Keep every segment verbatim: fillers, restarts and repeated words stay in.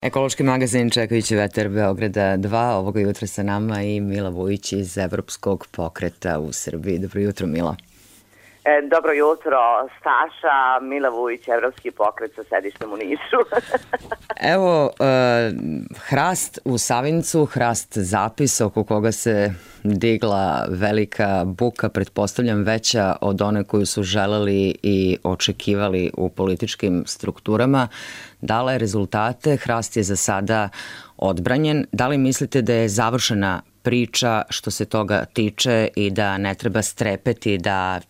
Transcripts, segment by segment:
Ekološki magazin Čekajući vetar Beograda dva, ovoga jutra sa nama i Mila Vujić iz Evropskog pokreta u Srbiji. Dobro jutro, Mila. E, dobro jutro, Staša, Mila Vujić, Evropski pokret sa sedištem u Nišu. Evo, e, hrast u Savincu, hrast zapis oko koga se digla velika buka, pretpostavljam veća od one koju su želeli i očekivali u političkim strukturama. Dala je rezultate, hrast je za sada odbranjen. Da li mislite da je završena priča što se toga tiče i da ne treba strepeti da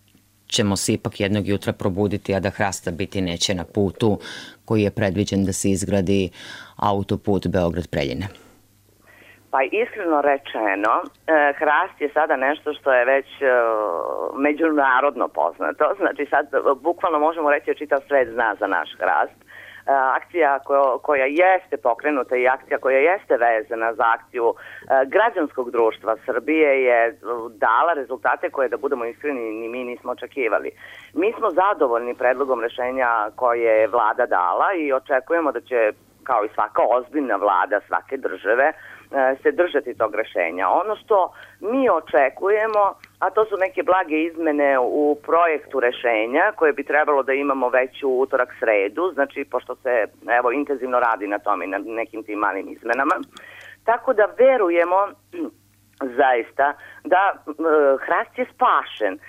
ćemo se ipak jednog jutra probuditi, a da hrasta biti neće na putu koji je predviđen da se izgradi autoput Beograd-Preljina? Pa iskreno rečeno, hrast je sada nešto što je već međunarodno poznato. Znači sad bukvalno možemo reći da čitav svet zna za naš hrast. Akcija koja, koja jeste pokrenuta i akcija koja jeste vezana za akciju građanskog društva Srbije je dala rezultate koje, da budemo iskreni, ni mi nismo očekivali. Mi smo zadovoljni predlogom rešenja koje je vlada dala i očekujemo da će, kao i svaka ozbiljna vlada svake države, se držati tog rešenja. Ono što mi očekujemo, a to su neke blage izmene u projektu rešenja koje bi trebalo da imamo već u utorak sredu, znači pošto se evo intenzivno radi na tome i na nekim tim malim izmenama. Tako da verujemo zaista da e, hrast je spašen.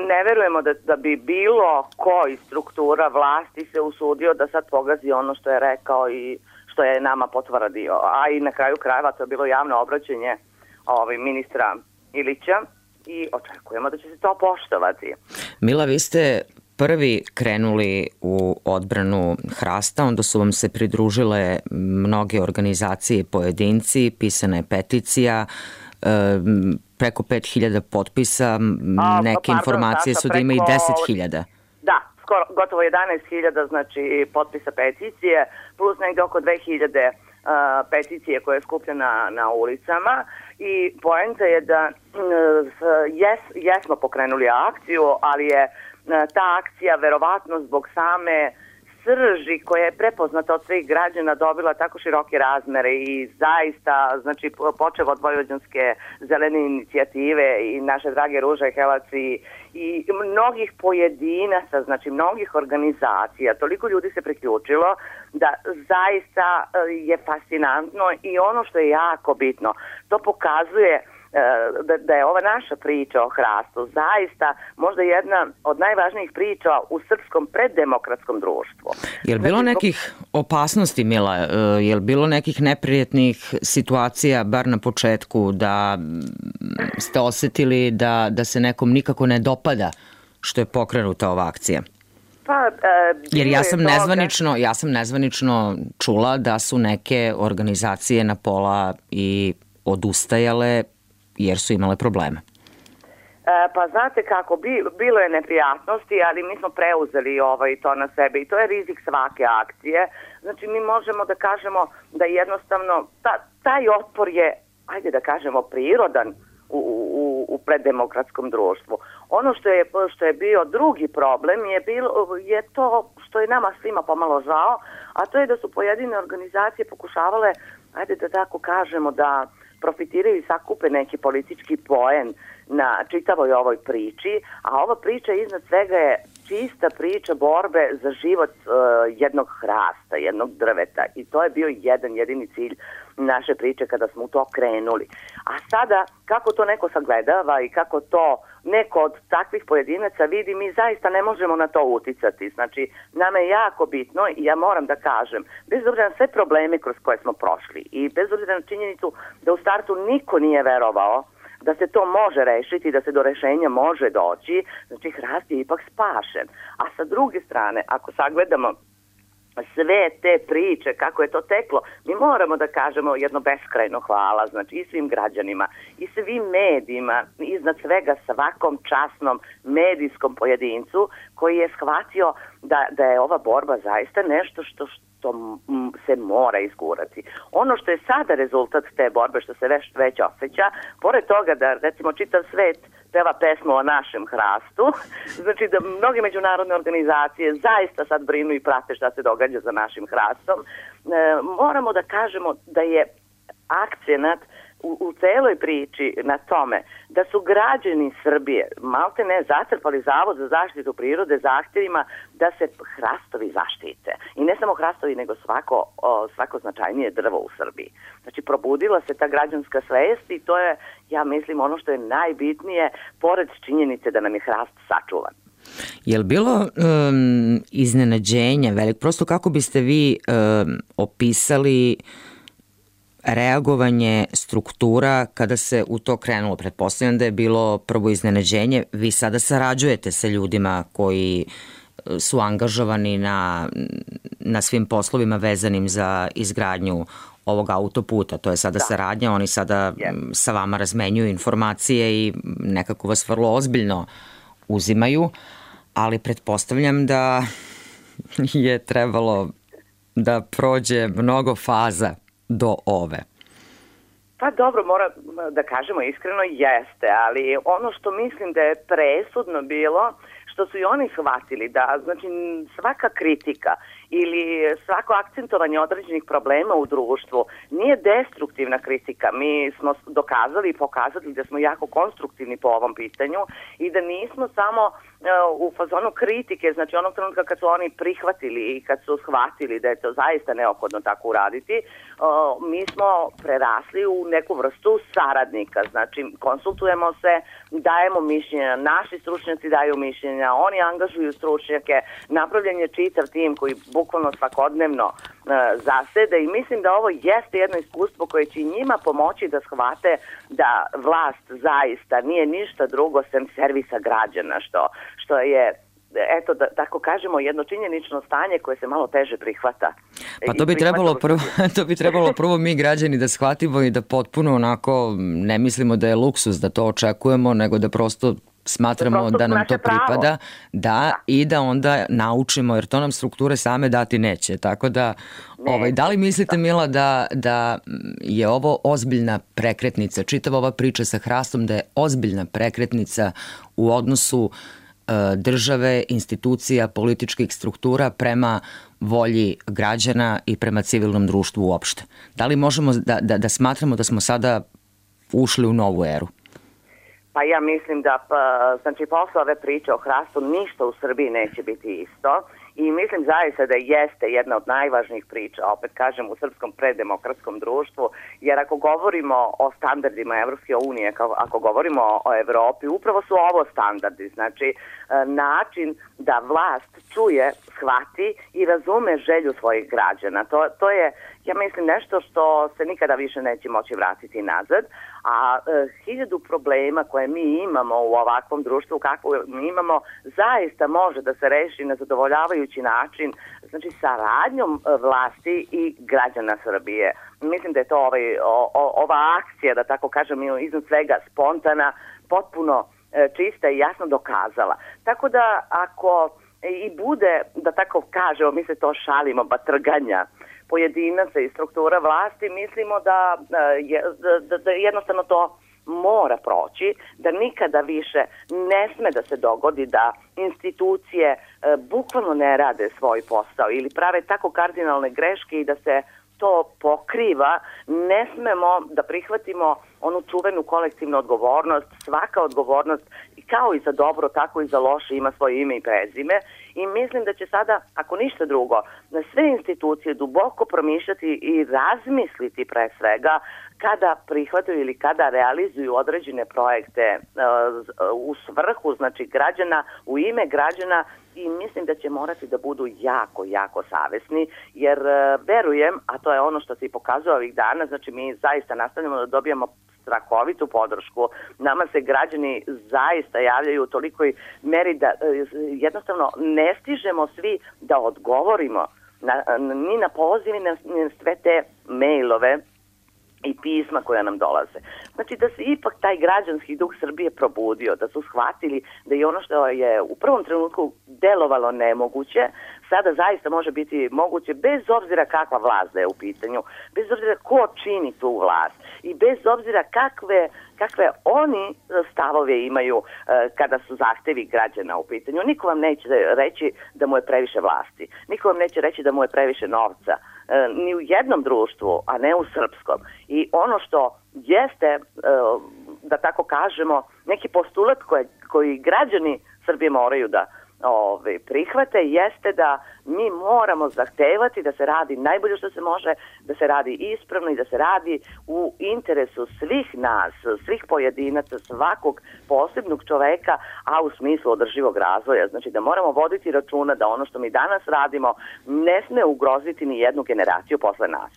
Ne verujemo da, da bi bilo koji struktura vlasti se usudio da sad pogazi ono što je rekao i što je nama potvrdio. A i na kraju krajeva to je bilo javno obraćanje ovaj, ministra Ilića i očekujemo da će se to poštovati. Mila, vi ste prvi krenuli u odbranu hrasta, onda su vam se pridružile mnoge organizacije i pojedinci, pisana je peticija, preko pet hiljada potpisa, neke A, informacije pardon, su da ima i deset hiljada. Da, skoro, gotovo jedanaest hiljada znači potpisa peticije, plus negde oko dve hiljade uh, peticije koje je skupljena na ulicama i poenta je da uh, jes, jesmo pokrenuli akciju, ali je uh, ta akcija verovatno zbog same srži koja je prepoznata od svih građana dobila tako široke razmere i zaista, znači počev od Vojvođanske zelene inicijative i naše drage Ruže Helaci i mnogih pojedinaca, znači mnogih organizacija, toliko ljudi se priključilo da zaista je fascinantno i ono što je jako bitno, to pokazuje Da, da je ova naša priča o hrastu zaista možda jedna od najvažnijih priča u srpskom preddemokratskom društvu. Je li bilo nekih opasnosti, Mila? Je li bilo nekih neprijetnih situacija, bar na početku, da ste osetili da, da se nekom nikako ne dopada što je pokrenuta ova akcija? Pa, e, Jer ja sam, nezvanično, ja sam nezvanično čula da su neke organizacije na pola i odustajale jer su imale probleme. E, pa znate kako, bi, bilo je neprijatnosti, ali mi smo preuzeli ovaj, to na sebe i to je rizik svake akcije. Znači mi možemo da kažemo da jednostavno ta, taj otpor je, ajde da kažemo, prirodan u, u, u preddemokratskom društvu. Ono što je, što je bio drugi problem je, bilo, je to što je nama svima pomalo žao, a to je da su pojedine organizacije pokušavale, ajde da tako kažemo, da profitiraju i sakupe neki politički poen na čitavoj ovoj priči, a ova priča iznad svega je čista priča borbe za život uh, jednog hrasta, jednog drveta i to je bio jedan jedini cilj naše priče kada smo u to krenuli. A sada, kako to neko sagledava i kako to neko od takvih pojedinaca vidi, mi zaista ne možemo na to uticati. Znači, nama je jako bitno i ja moram da kažem, bez obzira na sve probleme kroz koje smo prošli i bez obzira na činjenicu da u startu niko nije verovao da se to može rešiti, da se do rešenja može doći, znači hrast je ipak spašen. A sa druge strane, ako sagledamo sve te priče, kako je to teklo, mi moramo da kažemo jedno beskrajno hvala, znači i svim građanima, i svim medijima, iznad svega svakom časnom medijskom pojedincu koji je shvatio da, da je ova borba zaista nešto što, što se mora izgurati. Ono što je sada rezultat te borbe, što se već, već osjeća, pored toga da recimo čitav svet peva pesmu o našem hrastu. Znači da mnoge međunarodne organizacije zaista sad brinu i prate šta se događa za našim hrastom. E, moramo da kažemo da je akcenat u, u celoj priči na tome da su građani Srbije malte ne zatrpali Zavod za zaštitu prirode zahtjevima da se hrastovi zaštite. I ne samo hrastovi, nego svako, o, svako značajnije drvo u Srbiji. Znači, probudila se ta građanska svest i to je, ja mislim, ono što je najbitnije, pored činjenice da nam je hrast sačuvan. Je li bilo um, iznenađenja velik? Prosto kako biste vi um, opisali reagovanje struktura kada se u to krenulo? Pretpostavljam da je bilo prvo iznenađenje. Vi sada sarađujete sa ljudima koji su angažovani na, na svim poslovima vezanim za izgradnju ovog autoputa. To je sada da. saradnja. Oni sada yeah. sa vama razmenjuju informacije i nekako vas vrlo ozbiljno uzimaju, ali pretpostavljam da je trebalo da prođe mnogo faza do ove. Pa dobro, mora da kažemo iskreno, jeste, ali ono što mislim da je presudno bilo, što su i oni shvatili da, znači, svaka kritika ili svako akcentovanje određenih problema u društvu nije destruktivna kritika. Mi smo dokazali i pokazali da smo jako konstruktivni po ovom pitanju i da nismo samo uh, u fazonu kritike, znači onog trenutka kad su oni prihvatili i kad su shvatili da je to zaista neophodno tako uraditi, uh, mi smo prerasli u neku vrstu saradnika. Znači, konsultujemo se, dajemo mišljenja, naši stručnjaci daju mišljenja, oni angažuju stručnjake, napravljen je čitav tim koji bukvalno svakodnevno uh, zasede i mislim da ovo jeste jedno iskustvo koje će njima pomoći da shvate da vlast zaista nije ništa drugo sem servisa građana, što, što je, eto, da tako kažemo, jedno činjenično stanje koje se malo teže prihvata. Pa to bi trebalo prvo, to bi trebalo prvo mi građani da shvatimo i da potpuno onako ne mislimo da je luksuz da to očekujemo, nego da prosto smatramo da nam to pripada, da, da, i da onda naučimo, jer to nam strukture same dati neće. Tako da, ne, ovaj, da li mislite, Mila, da, da je ovo ozbiljna prekretnica, čitava ova priča sa hrastom, da je ozbiljna prekretnica u odnosu e, države, institucija, političkih struktura prema volji građana i prema civilnom društvu uopšte? Da li možemo da, da, da smatramo da smo sada ušli u novu eru? Pa ja mislim da, pa, znači, posle ove priče o hrastu ništa u Srbiji neće biti isto i mislim zaista da jeste jedna od najvažnijih priča, opet kažem, u srpskom preddemokratskom društvu, jer ako govorimo o standardima Evropske unije, ako govorimo o Evropi, upravo su ovo standardi, znači način da vlast čuje, shvati i razume želju svojih građana. To, to je, ja mislim, nešto što se nikada više neće moći vratiti nazad, a e, hiljadu problema koje mi imamo u ovakvom društvu, kako mi imamo, zaista može da se reši na zadovoljavajući način, znači saradnjom vlasti i građana Srbije. Mislim da je to ovaj, o, o, ova akcija, da tako kažem, iznad svega spontana, potpuno e, čista i jasno dokazala. Tako da ako i bude, da tako kažemo, mi se to šalimo, batrganja pojedinaca i struktura vlasti, mislimo da, da, da jednostavno to mora proći, da nikada više ne sme da se dogodi da institucije e, bukvalno ne rade svoj posao ili prave tako kardinalne greške i da se to pokriva. Ne smemo da prihvatimo onu čuvenu kolektivnu odgovornost. Svaka odgovornost, kao i za dobro, tako i za loše, ima svoje ime i prezime. I mislim da će sada, ako ništa drugo, na sve institucije duboko promišljati i razmisliti pre svega kada prihvataju ili kada realizuju određene projekte uh, u svrhu, znači, građana, u ime građana, i mislim da će morati da budu jako, jako savesni, jer uh, verujem, a to je ono što se i pokazuje ovih dana, znači mi zaista nastavljamo da dobijamo strahovitu podršku. Nama se građani zaista javljaju u tolikoj meri da uh, jednostavno ne stižemo svi da odgovorimo na, ni na poziv, ni na, ni na sve te mailove i pisma koja nam dolaze. Znači da se ipak taj građanski duh Srbije probudio, da su shvatili da je ono što je u prvom trenutku delovalo nemoguće, sada zaista može biti moguće bez obzira kakva vlast da je u pitanju, bez obzira ko čini tu vlast i bez obzira kakve, kakve oni stavove imaju kada su zahtevi građana u pitanju. Niko vam neće reći da mu je previše vlasti, niko vam neće reći da mu je previše novca, ni u jednom društvu, a ne u srpskom. I ono što jeste, da tako kažemo, neki postulat koji, koji građani Srbije moraju da ove, prihvate, jeste da mi moramo zahtevati da se radi najbolje što se može, da se radi ispravno i da se radi u interesu svih nas, svih pojedinaca, svakog posebnog čoveka, a u smislu održivog razvoja. Znači da moramo voditi računa da ono što mi danas radimo ne sme ugroziti ni jednu generaciju posle nas.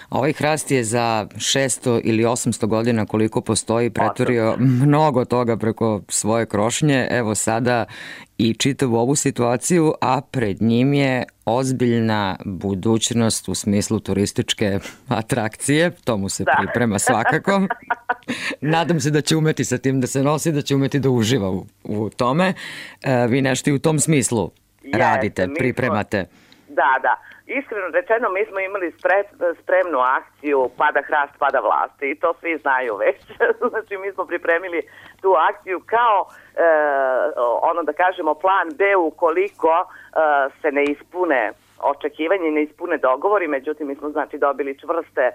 Ovaj hrast je za šesto ili osamsto godina koliko postoji pretvorio mnogo toga preko svoje krošnje. Evo sada i čitavu ovu situaciju, a pred njim je ozbiljna budućnost u smislu turističke atrakcije. To mu se da. priprema svakako. Nadam se da će umeti sa tim da se nosi, da će umeti da uživa u, u tome. E, vi nešto i u tom smislu Jeste, radite, pripremate. Smo, da, da. Iskreno rečeno, mi smo imali spre, spremnu akciju Pada hrast, pada vlasti i to svi znaju već. Znači, mi smo pripremili tu akciju kao, e, ono da kažemo, plan B ukoliko e, se ne ispune očekivanje i ne ispune dogovori. Međutim, mi smo znači dobili čvrste e,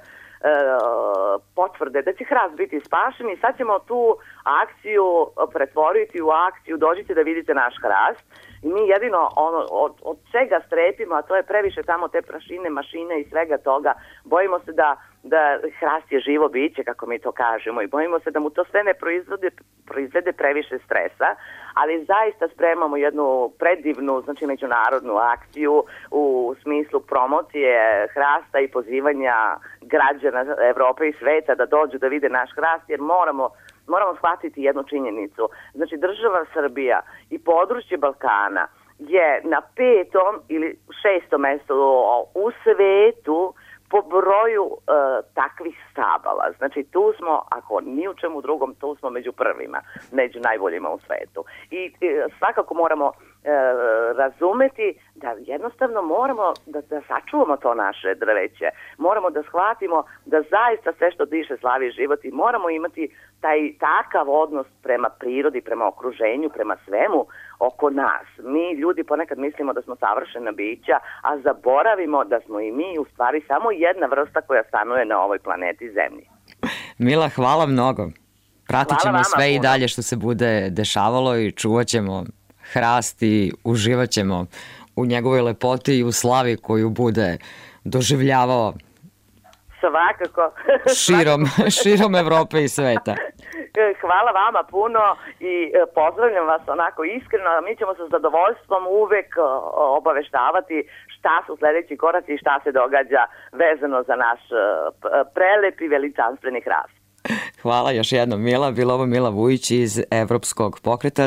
potvrde da će hrast biti spašen i sad ćemo tu akciju pretvoriti u akciju Dođite da vidite naš hrast. I mi jedino ono, od, od čega strepimo, a to je previše tamo te prašine, mašine i svega toga, bojimo se da, da hrast je živo biće, kako mi to kažemo, i bojimo se da mu to sve ne proizvede, proizvede previše stresa, ali zaista spremamo jednu predivnu, znači međunarodnu akciju u smislu promocije hrasta i pozivanja građana Evrope i sveta da dođu da vide naš hrast, jer moramo Moramo shvatiti jednu činjenicu. Znači, država Srbija i područje Balkana je na petom ili šestom mestu u svetu po broju e, takvih stabala. Znači, tu smo, ako ni u čemu drugom, tu smo među prvima, među najboljima u svetu. I e, svakako moramo e, razumeti da jednostavno moramo da, da sačuvamo to naše drveće. Moramo da shvatimo da zaista sve što diše slavi život i moramo imati taj takav odnos prema prirodi, prema okruženju, prema svemu oko nas. Mi ljudi ponekad mislimo da smo savršena bića, a zaboravimo da smo i mi u stvari samo jedna vrsta koja stanuje na ovoj planeti Zemlji. Mila, hvala mnogo. Pratit ćemo sve puno. I dalje što se bude dešavalo i čuvat ćemo hrast i uživat ćemo u njegovoj lepoti i u slavi koju bude doživljavao svakako širom, širom Evrope i sveta. Hvala vama puno i pozdravljam vas onako iskreno. Mi ćemo sa zadovoljstvom uvek obaveštavati šta su sledeći koraci i šta se događa vezano za naš prelep i veličanstveni hrast. Hvala još jednom, Mila. Bila ovo Mila Vujić iz Evropskog pokreta.